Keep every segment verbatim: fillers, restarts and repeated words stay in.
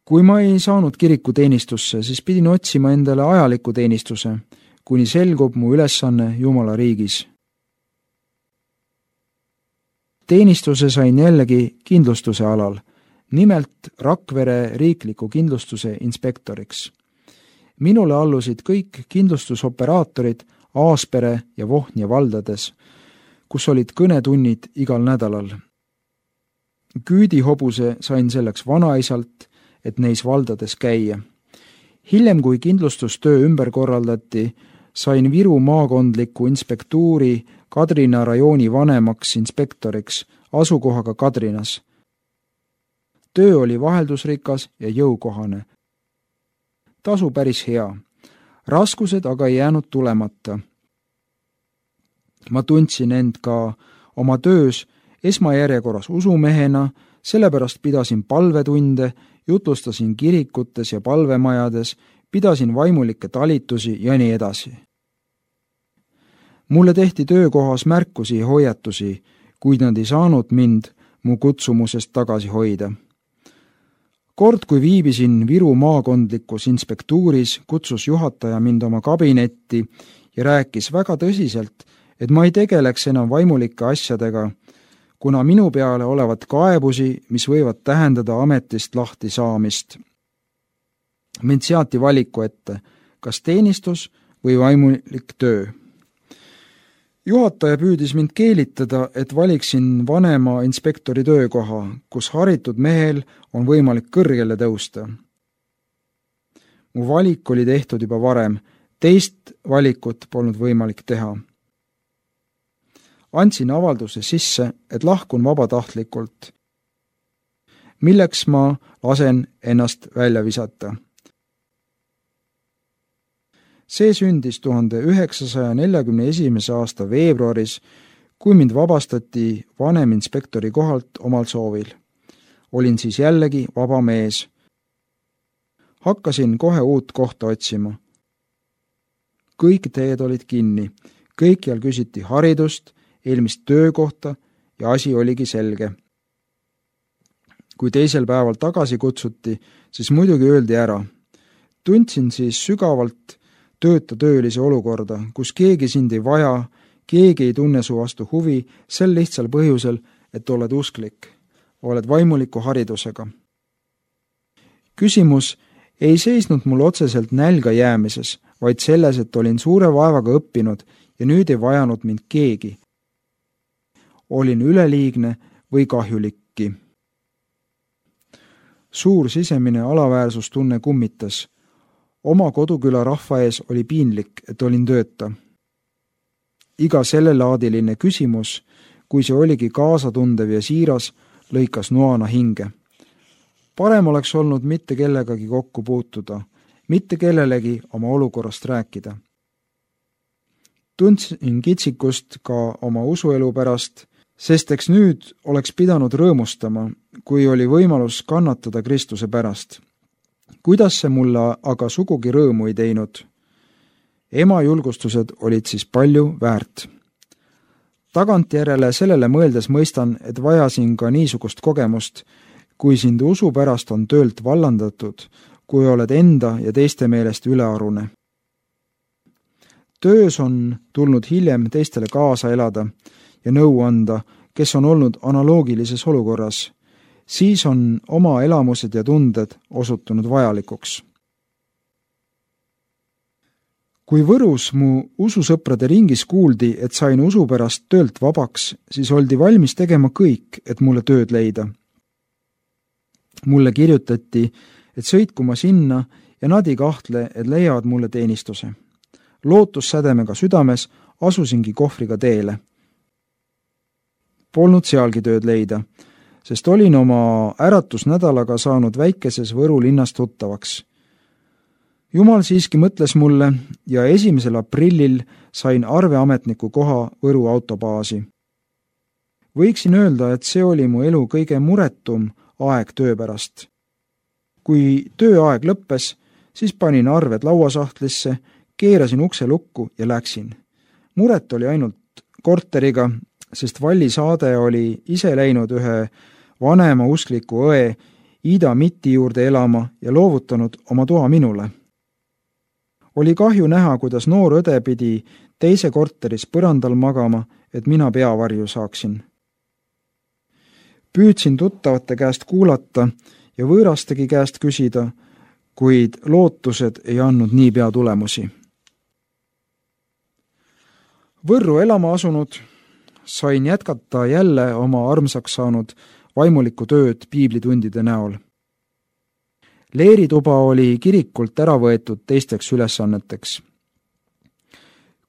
Kui ma ei saanud kirikuteenistusse, siis pidin otsima endale ajaliku teenistuse, kuni selgub mu ülesanne Jumala riigis. Teenistuse sain jällegi kindlustuse alal, nimelt Rakvere riikliku kindlustuse inspektoriks. Minule allusid kõik kindlustusoperaatorid Aaspere ja Vohnja valdades, kus olid kõnetunnid igal nädalal. Küüdihobuse sain selleks vanaisalt, et neis valdades käia. Hiljem, kui kindlustustöö ümber korraldati, sain Viru maakondliku inspektuuri Kadrina rajooni vanemaks inspektoriks asukohaga Kadrinas. Töö oli vaheldusrikas ja jõukohane. Tasu päris hea. Raskused aga ei jäänud tulemata. Ma tundsin end ka oma töös esmajärjekorras usumehena, sellepärast pidasin palvetunde, jutlustasin kirikutes ja palvemajades, pidasin vaimulikke talitusi ja nii edasi. Mulle tehti töökohas märkusi ja hoiatusi, kuid nad ei saanud mind mu kutsumusest tagasi hoida. Kord, kui viibisin Viru maakondlikus inspektuuris, kutsus juhataja mind oma kabinetti ja rääkis väga tõsiselt, et ma ei tegeleks enam vaimulike asjadega, kuna minu peale olevat kaebusi, mis võivad tähendada ametist lahti saamist. Mind seati valiku ette, kas teenistus või vaimulik töö. Juhataja püüdis mind keelitada, et valiksin vanema inspektori töökoha, kus haritud mehel on võimalik kõrgele tõusta. Mu valik oli tehtud juba varem, teist valikut polnud võimalik teha. Andsin avalduse sisse, et lahkun vabatahtlikult, milleks ma lasen ennast välja visata. See sündis tuhande üheksasaja neljakümne esimese aasta veebruaris, kui mind vabastati vaneminspektori kohalt omal soovil. Olin siis jällegi vaba mees. Hakkasin kohe uut kohta otsima. Kõik teed olid kinni, kõikjal küsiti haridust, eelmist töökohta ja asi oligi selge. Kui teisel päeval tagasi kutsuti, siis muidugi öeldi ära. Tundsin siis sügavalt tööta töölise olukorda, kus keegi sind ei vaja, keegi ei tunne su vastu huvi, sel lihtsal põhjusel, et oled usklik, oled vaimuliku haridusega. Küsimus ei seisnud mul otseselt nälga jäämises, vaid selles, et olin suure vaevaga õppinud ja nüüd ei vajanud mind keegi. Olin üleliigne või kahjulikki. Suur sisemine alaväärsustunne kummitas. Oma koduküla rahva ees oli piinlik, et olin tööta. Iga sellelaadiline küsimus, kui see oligi kaasatundev ja siiras, lõikas noana hinge. Parem oleks olnud mitte kellegagi kokku puutuda, mitte kellelegi oma olukorrast rääkida. Tundsin kitsikust ka oma usuelu pärast, sest eks nüüd oleks pidanud rõõmustama, kui oli võimalus kannatada Kristuse pärast. Kuidas see mulle aga sugugi rõõmu ei teinud? Ema julgustused olid siis palju väärt. Tagantjärele sellele mõeldes mõistan, et vajasin ka niisugust kogemust, kui sind usu pärast on töölt vallandatud, kui oled enda ja teiste meelest ülearune. Töös on tulnud hiljem teistele kaasa elada ja nõu anda, kes on olnud analoogilises olukorras. Siis on oma elamused ja tunded osutunud vajalikuks. Kui Võrus mu ususõprade ringis kuuldi, et sain usu pärast töölt vabaks, siis oldi valmis tegema kõik, et mulle tööd leida. Mulle kirjutati, et sõitku ma sinna ja nad ei kahtle, et leiavad mulle teenistuse. Lootussädemega südames asusingi kohvriga teele. Polnud sealgi tööd leida, sest olin oma äratusnädalaga saanud väikeses Võru linnas tuttavaks. Jumal siiski mõtles mulle ja esimesel aprillil sain arveametniku koha Võru autobaasi. Võiksin öelda, et see oli mu elu kõige muretum aeg töö pärast. Kui tööaeg lõppes, siis panin arved lauasahtlisse, keerasin ukse lukku ja läksin. Muret oli ainult korteriga, sest Valli saade oli ise läinud ühe vanema uskliku õe Ida Mitti juurde elama ja loovutanud oma toa minule. Oli kahju näha, kuidas noor õde pidi teise korteris põrandal magama, et mina peavarju saaksin. Püüdsin tuttavate käest kuulata ja võõrastegi käest küsida, kuid lootused ei andnud niipea tulemusi. Võrru elama asunud sain jätkata jälle oma armsaks saanud vaimulikku tööd piiblitundide näol. Leerituba oli kirikult ära võetud teisteks ülesanneteks.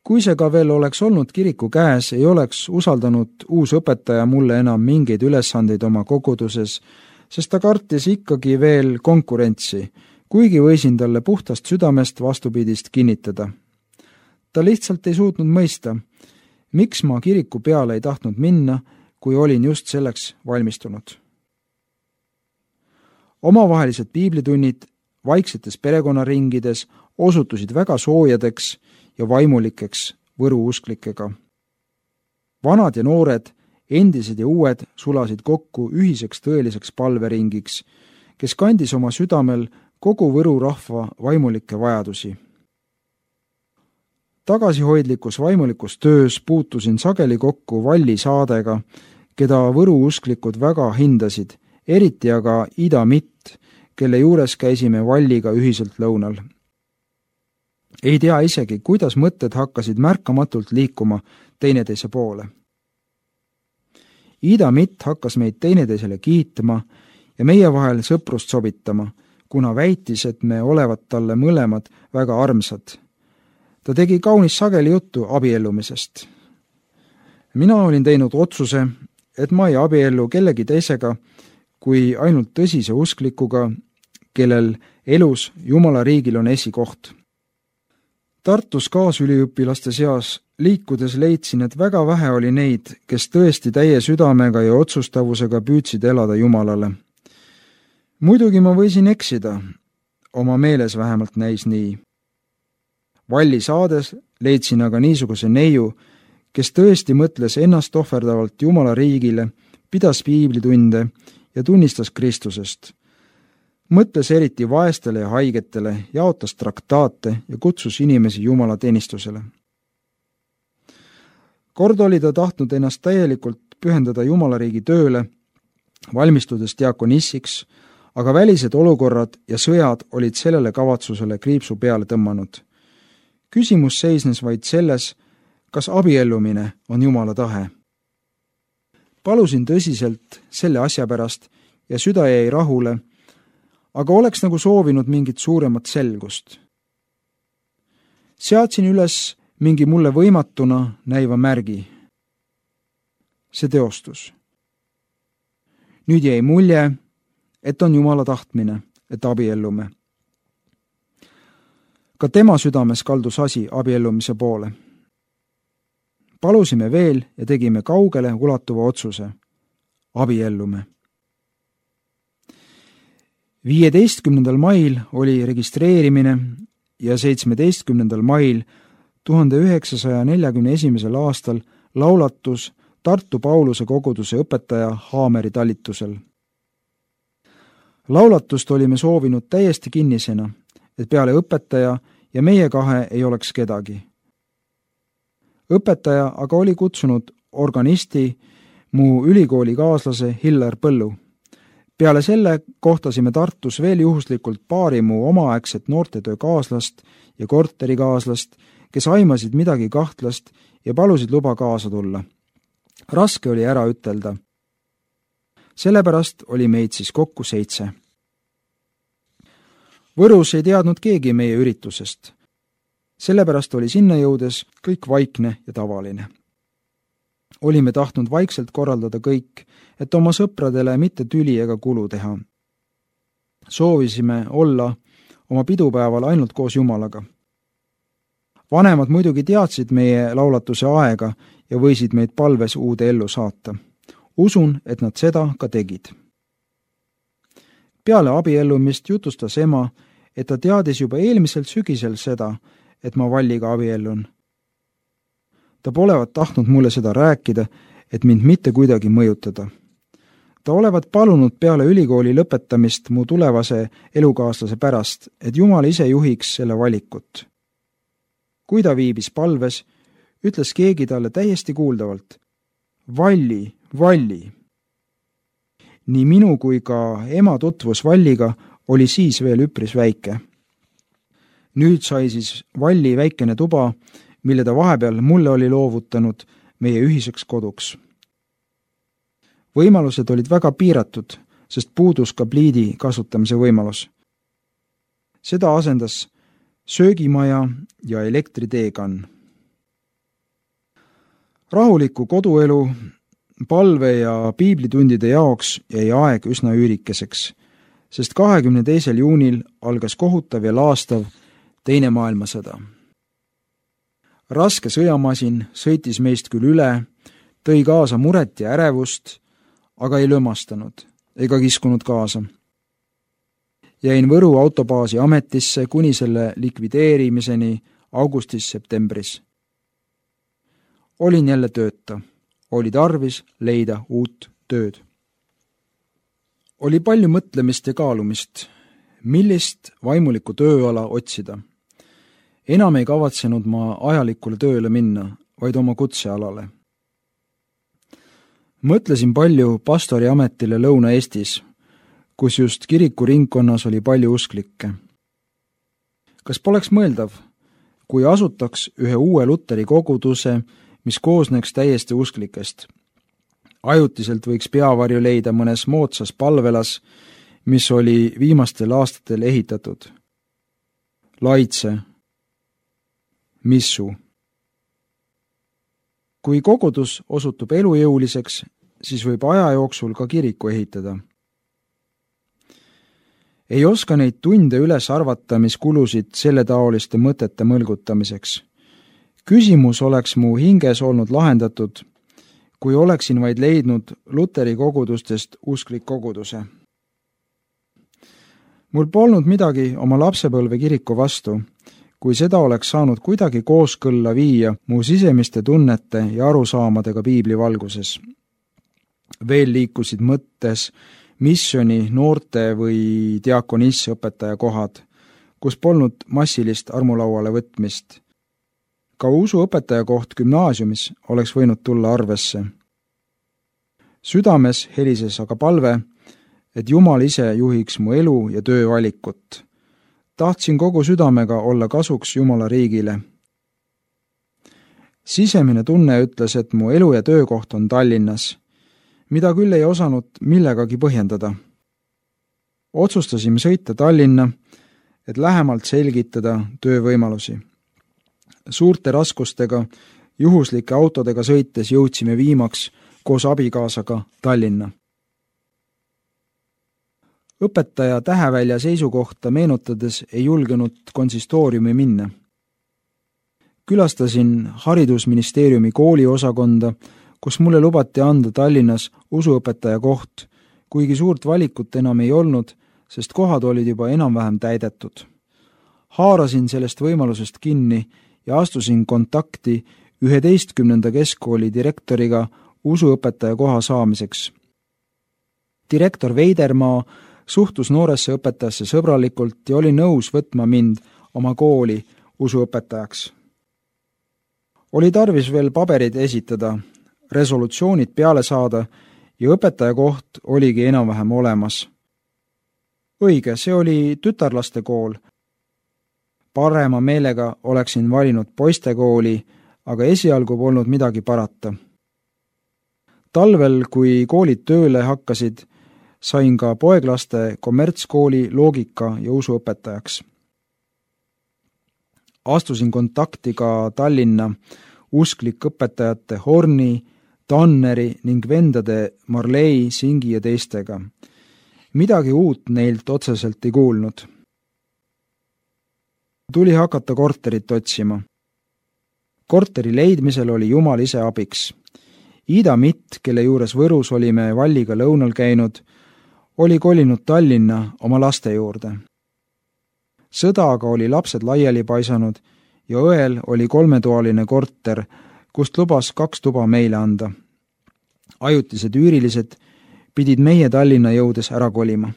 Kui see ka veel oleks olnud kiriku käes, ei oleks usaldanud uus õpetaja mulle enam mingeid ülesandeid oma koguduses, sest ta kartis ikkagi veel konkurentsi, kuigi võisin talle puhtast südamest vastupidist kinnitada. Ta lihtsalt ei suutnud mõista, miks ma kiriku peale ei tahtnud minna, kui olin just selleks valmistunud. Omavahelised piiblitunnid vaiksetes perekonnaringides osutusid väga soojadeks ja vaimulikeks võruusklikega. Vanad ja noored, endised ja uued sulasid kokku ühiseks tõeliseks palveringiks, kes kandis oma südamel kogu Võru rahva vaimulikke vajadusi. Tagasihoidlikus vaimulikus töös puutusin sageli kokku Valli Saadega, keda võruusklikud väga hindasid, eriti aga Ida Mitt, kelle juures käisime Valliga ühiselt lõunal. Ei tea isegi, kuidas mõtted hakkasid märkamatult liikuma teineteise poole. Ida Mitt hakkas meid teineteisele kiitma ja meie vahel sõprust sobitama, kuna väitis, et me olevat talle mõlemad väga armsad. Ta tegi kaunis sageli juttu abiellumisest. Mina olin teinud otsuse, et ma ei abiellu kellegi teisega, kui ainult tõsise usklikuga, kellel elus Jumala riigil on esikoht. Tartus kaasüliõpilaste seas liikudes leidsin, et väga vähe oli neid, kes tõesti täie südamega ja otsustavusega püüdsid elada Jumalale. Muidugi ma võisin eksida, oma meeles vähemalt näis nii. Valli Saades leidsin aga niisuguse neiu, kes tõesti mõtles ennast ohverdavalt Jumala riigile, pidas piiblitunde ja tunnistas Kristusest. Mõtles eriti vaestele ja haigetele, jaotas traktaate ja kutsus inimesi Jumala teenistusele. Kord oli ta tahtnud ennast täielikult pühendada Jumala riigi tööle, valmistudes diakonissiks, aga välised olukorrad ja sõjad olid sellele kavatsusele kriipsu peale tõmmanud. Küsimus seisnes vaid selles, kas abiellumine on Jumala tahe. Palusin tõsiselt selle asja pärast ja süda jäi rahule, aga oleks nagu soovinud mingit suuremat selgust. Seadsin üles mingi mulle võimatuna näiva märgi. See teostus. Nüüd jäi mulje, et on Jumala tahtmine, et abiellume. Ka tema südames kaldus asi abiellumise poole. Palusime veel ja tegime kaugele ulatuva otsuse. Abiellume. viieteistkümnendal mail oli registreerimine ja seitsmeteistkümnendal mail tuhande üheksasaja neljakümne esimesel aastal laulatus Tartu Pauluse koguduse õpetaja Haameri talitusel. Laulatust olime soovinud täiesti kinnisena, et peale õpetaja ja meie kahe ei oleks kedagi. Õpetaja aga oli kutsunud organisti, mu ülikooli kaaslase Hillar Põllu. Peale selle kohtasime Tartus veel juhuslikult paari mu omaaegset noortetöö kaaslast ja korterikaaslast, kes aimasid midagi kahtlast ja palusid luba kaasa tulla. Raske oli ära ütelda. Sellepärast oli meid siis kokku seitse. Võrus ei teadnud keegi meie üritusest. Sellepärast oli sinna jõudes kõik vaikne ja tavaline. Olime tahtnud vaikselt korraldada kõik, et oma sõpradele mitte tüli ega kulu teha. Soovisime olla oma pidupäeval ainult koos Jumalaga. Vanemad muidugi teadsid meie laulatuse aega ja võisid meid palves uude ellu saata. Usun, et nad seda ka tegid. Peale abiellumist jutustas ema, et ta teadis juba eelmisel sügisel seda, et ma Valliga abiellun. Ta polevat tahtnud mulle seda rääkida, et mind mitte kuidagi mõjutada. ta olevat palunud peale ülikooli lõpetamist mu tulevase elukaaslase pärast, et Jumal ise juhiks selle valikut. Kui ta viibis palves, ütles keegi talle täiesti kuuldavalt: Valli, Valli. Nii minu kui ka ema tutvus Valliga oli siis veel üpris väike. Nüüd sai siis Valli väikene tuba, mille ta vahepeal mulle oli loovutanud meie ühiseks koduks. Võimalused olid väga piiratud, sest puudus ka pliidi kasutamise võimalus. Seda asendas söögimaja ja elektriteekann. Rahuliku koduelu, palve ja piiblitundide jaoks jäi aeg üsna üürikeseks, sest kahekümne teisel juunil algas kohutav ja laastav teine maailmasõda. Raske sõjamasin sõitis meist küll üle, tõi kaasa muret ja ärevust, aga ei lömastanud ega kiskunud kaasa. Jäin Võru autobaasi ametisse kuni selle likvideerimiseni augustis-septembris. Olin jälle tööta. Oli tarvis leida uut tööd. Oli palju mõtlemist ja kaalumist, millist vaimulikku tööala otsida. Enam ei kavatsenud ma ajalikule tööle minna, vaid oma kutsealale. Mõtlesin palju pastori ametile Lõuna-Eestis, kus just kirikuringkonnas oli palju usklikke. Kas poleks mõeldav, kui asutaks ühe uue Luteri koguduse, mis koosneks täiesti usklikest? Ajutiselt võiks peavarju leida mõnes moodsas palvelas, mis oli viimastel aastatel ehitatud. Laitse, Missu. Kui kogudus osutub elujõuliseks, siis võib aja jooksul ka kiriku ehitada. Ei oska neid tunde üles arvata, mis kulusid selle taoliste mõtete mõlgutamiseks. Küsimus oleks mu hinges olnud lahendatud, kui oleksin vaid leidnud Luteri kogudustest usklik koguduse. Mul polnud midagi oma lapsepõlve kiriku vastu, kui seda oleks saanud kuidagi kooskõlla viia mu sisemiste tunnete ja arusaamadega piibli valguses. Veel liikusid mõttes missioni, noorte või diakonisse õpetaja kohad, kus polnud massilist armulauale võtmist. Ka usuõpetaja koht gümnaasiumis oleks võinud tulla arvesse. Südames helises aga palve, et Jumal ise juhiks mu elu ja töö valikut. Tahtsin kogu südamega olla kasuks Jumala riigile. Sisemine tunne ütles, et mu elu ja töökoht on Tallinnas, mida küll ei osanud millegagi põhjendada. Otsustasime sõita Tallinna, et lähemalt selgitada töövõimalusi. Suurte raskustega, juhuslike autodega sõites jõudsime viimaks koos abikaasaga Tallinna. Õpetaja Tähevälja seisukohta meenutades ei julgenud konsistooriumi minna. Külastasin haridusministeeriumi kooliosakonda, kus mulle lubati anda Tallinnas usuõpetaja koht, kuigi suurt valikut enam ei olnud, sest kohad olid juba enam-vähem täidetud. Haarasin sellest võimalusest kinni ja astusin kontakti üheteistkümnenda keskkooli direktoriga usuõpetaja koha saamiseks. Direktor Veidermaa suhtus nooresse õpetajasse sõbralikult ja oli nõus võtma mind oma kooli usuõpetajaks. Oli tarvis veel paberid esitada, resolutsioonid peale saada ja õpetaja koht oligi enam-vähem olemas. Õige, see oli tütarlaste kool. Parema meelega oleksin valinud poistekooli, aga esialgu polnud midagi parata. Talvel, kui koolid tööle hakkasid, sain ka poeglaste kommertskooli loogika ja usuõpetajaks. Astusin kontakti ka Tallinna usklik õpetajate Horni, Tanneri ning vendade Marlei, Singi ja teistega. Midagi uut neilt otseselt ei kuulnud. Tuli hakata korterit otsima. Korteri leidmisel oli Jumal ise abiks. Ida Mitt, kelle juures Võrus olime Valliga lõunal käinud, oli kolinud Tallinna oma laste juurde. Sõda aga oli lapsed laiali paisanud ja õel oli kolmetoaline korter, kust lubas kaks tuba meile anda. Ajutised üürilised pidid meie Tallinna jõudes ära kolima.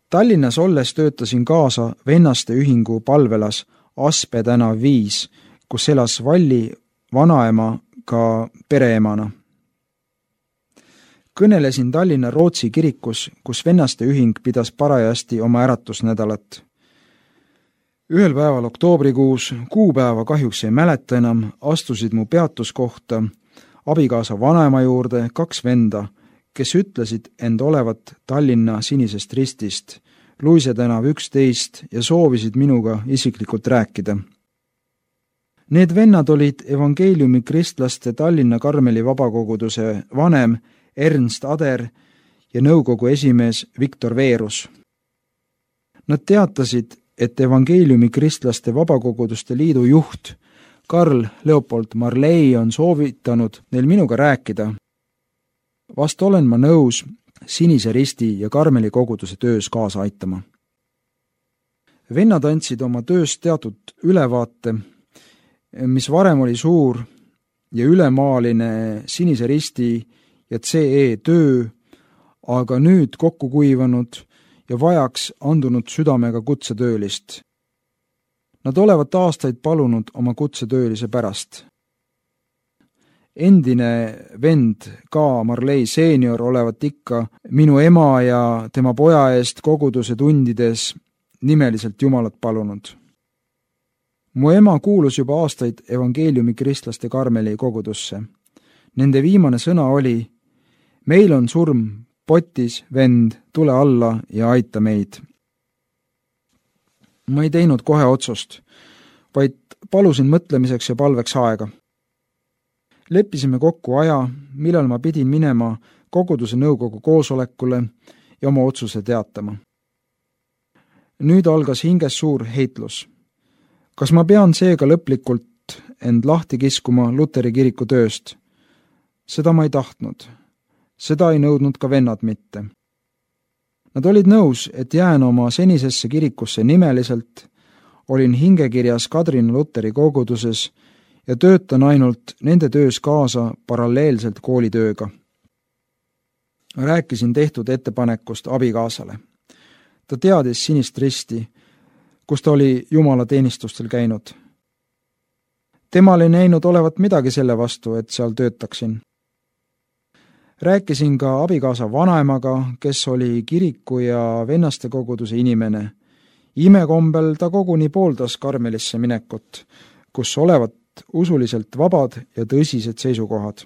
Tallinnas olles töötasin kaasa vennaste ühingu palvelas Aspe tänav viis, kus elas Valli vanaema ka pereemana. Kõnelesin Tallinna Rootsi kirikus, kus vennaste ühing pidas parajasti oma äratusnädalat. Ühel päeval oktoobrikuus, kuupäeva kahjuks ei mäleta enam, astusid mu peatuskohta abikaasa vanaema juurde kaks venda, kes ütlesid end olevat Tallinna Sinisest Ristist, Luise tänav üksteist ja soovisid minuga isiklikult rääkida. Need vennad olid evangeeliumi kristlaste Tallinna Karmeli vabakoguduse vanem Ernst Ader ja nõukogu esimees Viktor Veerus. Nad teatasid, et evangeeliumi kristlaste vabakoguduste liidu juht Karl Leopold Marley on soovitanud neil minuga rääkida. Vast olen ma nõus Sinise Risti ja Karmeli koguduse töös kaasa aitama. Vennad andsid oma tööst teatud ülevaate, mis varem oli suur ja ülemaaline Sinise Risti ja C E töö, aga nüüd kokku kuivanud ja vajaks andunud südamega kutsetöölist. Nad olevat aastaid palunud oma kutsetöölise pärast. Endine vend K. Marley seenior olevat ikka minu ema ja tema poja eest koguduse tundides nimeliselt Jumalat palunud. Mu ema kuulus juba aastaid evangeeliumi kristlaste Karmeli kogudusse. Nende viimane sõna oli: meil on surm potis, vend, tule alla ja aita meid. Ma ei teinud kohe otsust, vaid palusin mõtlemiseks ja palveks aega. Leppisime kokku aja, millal ma pidin minema koguduse nõukogu koosolekule ja oma otsuse teatama. Nüüd algas hinges suur heitlus. Kas ma pean seega lõplikult end lahti kiskuma Luteri kiriku tööst? Seda ma ei tahtnud. Seda ei nõudnud ka vennad mitte. Nad olid nõus, et jään oma senisesse kirikusse nimeliselt, olin hingekirjas Kadrina Luteri koguduses ja töötan ainult nende töös kaasa paralleelselt koolitööga. Rääkisin tehtud ettepanekust abikaasale. Ta teadis Sinist Risti, kus ta oli Jumala teenistustel käinud. Temal ei näinud olevat midagi selle vastu, et seal töötaksin. Rääkisin ka abikaasa vanaemaga, kes oli kiriku ja vennaste koguduse inimene. Imekombel ta koguni pooldas Karmelisse minekut, kus olevat usuliselt vabad ja tõsised seisukohad.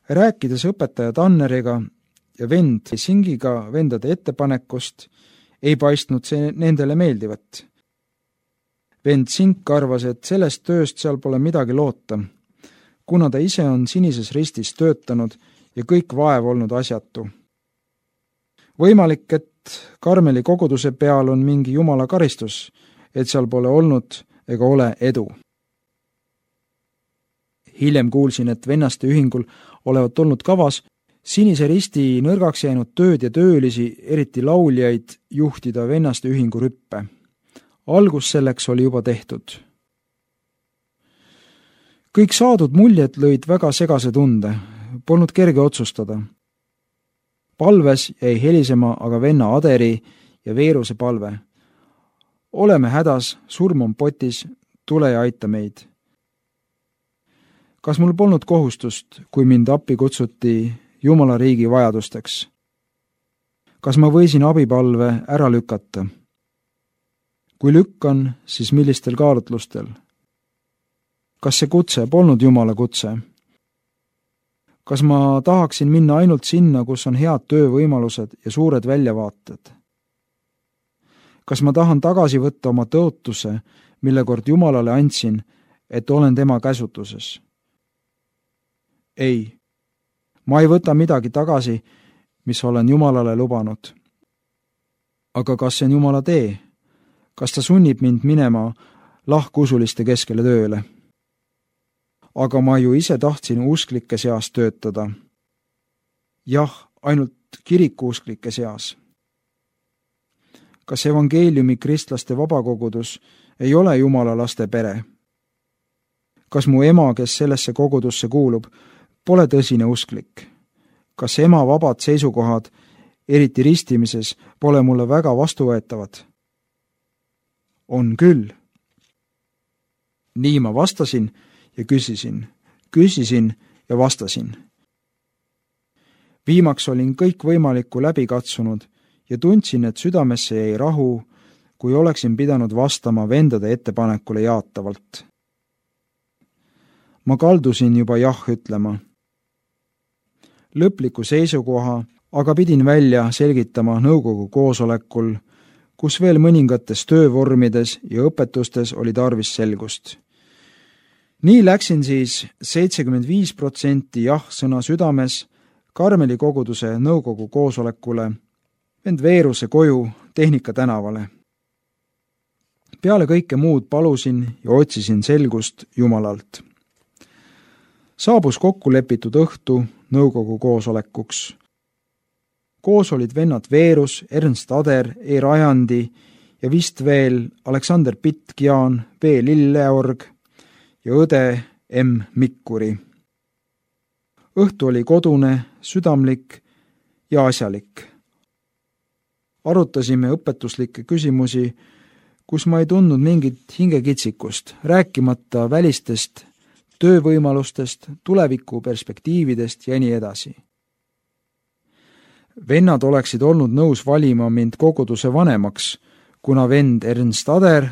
Rääkides õpetaja Tanneriga ja vend Singiga vendade ettepanekust, ei paistnud see nendele meeldivat. Vend Sink arvas, et sellest tööst seal pole midagi loota, kuna ta ise on Sinises Ristis töötanud ja kõik vaev olnud asjatu. Võimalik, et Karmeli koguduse peal on mingi Jumala karistus, et seal pole olnud ega ole edu. Hiljem kuulsin, et vennaste ühingul olevat olnud kavas Sinise Risti nõrgaks jäänud tööd ja töölisi, eriti lauljaid, juhtida vennaste ühingu rüppe. Algus selleks oli juba tehtud. Kõik saadud muljed lõid väga segase tunde, polnud kerge otsustada. Palves jäi helisema aga venna Aderi ja Veeruse palve. Oleme hädas, surm on potis, tule ja aita meid. Kas mul polnud kohustust, kui mind appi kutsuti Jumala riigi vajadusteks? Kas ma võisin abipalve ära lükata? Kui lükkan, siis millistel kaalutlustel? Kas see kutse polnud Jumala kutse? Kas ma tahaksin minna ainult sinna, kus on head töövõimalused ja suured väljavaated? Kas ma tahan tagasi võtta oma tõotuse, mille kord Jumalale andsin, et olen tema käsutuses? Ei, ma ei võta midagi tagasi, mis olen Jumalale lubanud. Aga kas see on Jumala tee? Kas ta sunnib mind minema lahkusuliste keskele tööle? Aga ma ju ise tahtsin usklike seas töötada. Jah, ainult kirikuusklike seas. Kas evangeeliumi kristlaste vabakogudus ei ole Jumala laste pere? Kas mu ema, kes sellesse kogudusse kuulub, pole tõsine usklik. Kas ema vabad seisukohad, eriti ristimises, pole mulle väga vastuvõetavad? On küll. Nii ma vastasin ja küsisin, küsisin ja vastasin. Viimaks olin kõik võimalikku läbi katsunud ja tundsin, et südamesse jäi rahu, kui oleksin pidanud vastama vendade ettepanekule jaatavalt. Ma kaldusin juba jah ütlema. Lõpliku seisukoha aga pidin välja selgitama nõukogu koosolekul, kus veel mõningates töövormides ja õpetustes oli tarvis selgust. Nii läksin siis seitsekümmend viis protsenti jah sõna südames Karmeli koguduse nõukogu koosolekule, vend Veeruse koju Tehnika tänavale. Peale kõike muud palusin ja otsisin selgust Jumalalt. Saabus kokku lepitud õhtu nõukogu koosolekuks. Koos olid vennad Veerus, Ernst Ader, E. Rajandi ja vist veel Aleksander Pitt-Gjaan, B. Lilleorg ja õde M. Mikkuri. Õhtu oli kodune, südamlik ja asjalik. Arutasime õpetuslikke küsimusi, kus ma ei tundnud mingit hingekitsikust, rääkimata välistest töövõimalustest, tuleviku perspektiividest ja nii edasi. Vennad oleksid olnud nõus valima mind koguduse vanemaks, kuna vend Ernst Ader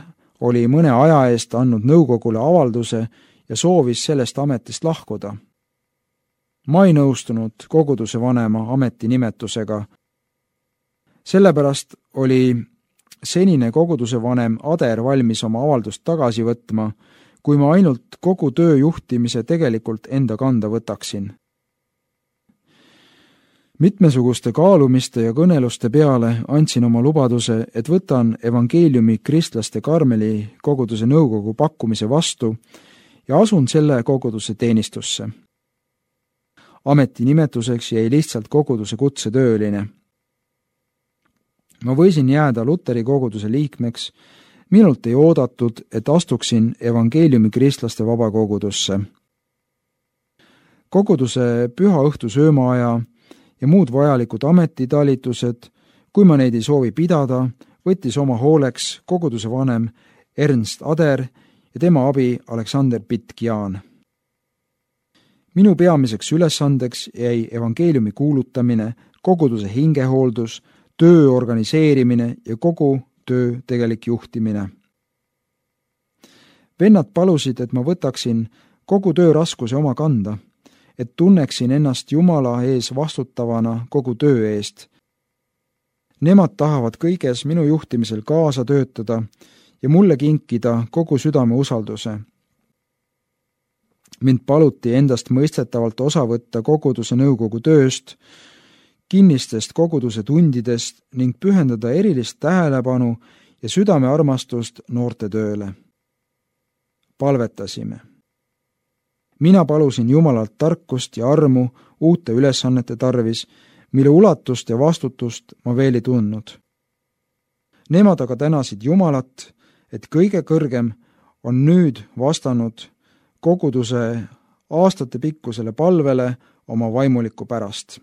oli mõne aja eest andnud nõukogule avalduse ja soovis sellest ametist lahkuda. Ma ei nõustunud koguduse vanema ametinimetusega. Sellepärast oli senine koguduse vanem Ader valmis oma avaldust tagasi võtma, kui ma ainult kogu töö juhtimise tegelikult enda kanda võtaksin. Mitmesuguste kaalumiste ja kõneluste peale andsin oma lubaduse, et võtan evangeeliumi kristlaste Karmeli koguduse nõukogu pakkumise vastu ja asun selle koguduse teenistusse. Ametinimetuseks jäi lihtsalt koguduse kutsetööline. Ma võisin jääda Luteri koguduse liikmeks, minult ei oodatud, et astuksin evangeeliumi kristlaste vabakogudusse. Koguduse püha õhtu söömaaja ja muud vajalikud ametitalitused, kui ma neid ei soovi pidada, võttis oma hooleks koguduse vanem Ernst Ader ja tema abi Aleksander Pitt-Gjaan. Minu peamiseks ülesandeks jäi evangeeliumi kuulutamine, koguduse hingehooldus, töö organiseerimine ja kogu töö tegelik juhtimine. Vennad palusid, et ma võtaksin kogu töö raskuse oma kanda, et tunneksin ennast Jumala ees vastutavana kogu töö eest. Nemad tahavad kõiges minu juhtimisel kaasa töötada ja mulle kinkida kogu südame usalduse. Mind paluti endast mõistetavalt osa võtta koguduse nõukogu tööst, kinnistest koguduse tundidest ning pühendada erilist tähelepanu ja südamearmastust noorte tööle. Palvetasime. Mina palusin Jumalalt tarkust ja armu uute ülesannete tarvis, mille ulatust ja vastutust ma veel ei tundnud. Nemad aga tänasid Jumalat, et kõige kõrgem on nüüd vastanud koguduse aastate pikkusele palvele oma vaimuliku pärast.